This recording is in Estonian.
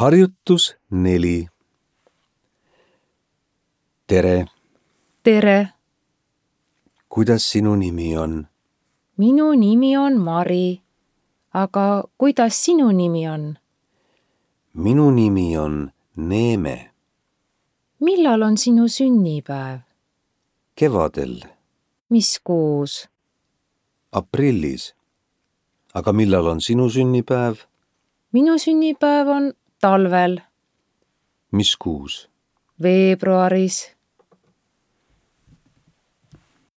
Harjutus 4. Tere! Tere! Kuidas sinu nimi on? Minu nimi on Mari. Aga kuidas sinu nimi on? Minu nimi on Neeme. Millal on sinu sünnipäev? Kevadel. Mis kuus? Aprillis. Aga millal on sinu sünnipäev? Minu sünnipäev on talvel. Mis kuus? Veebruaris.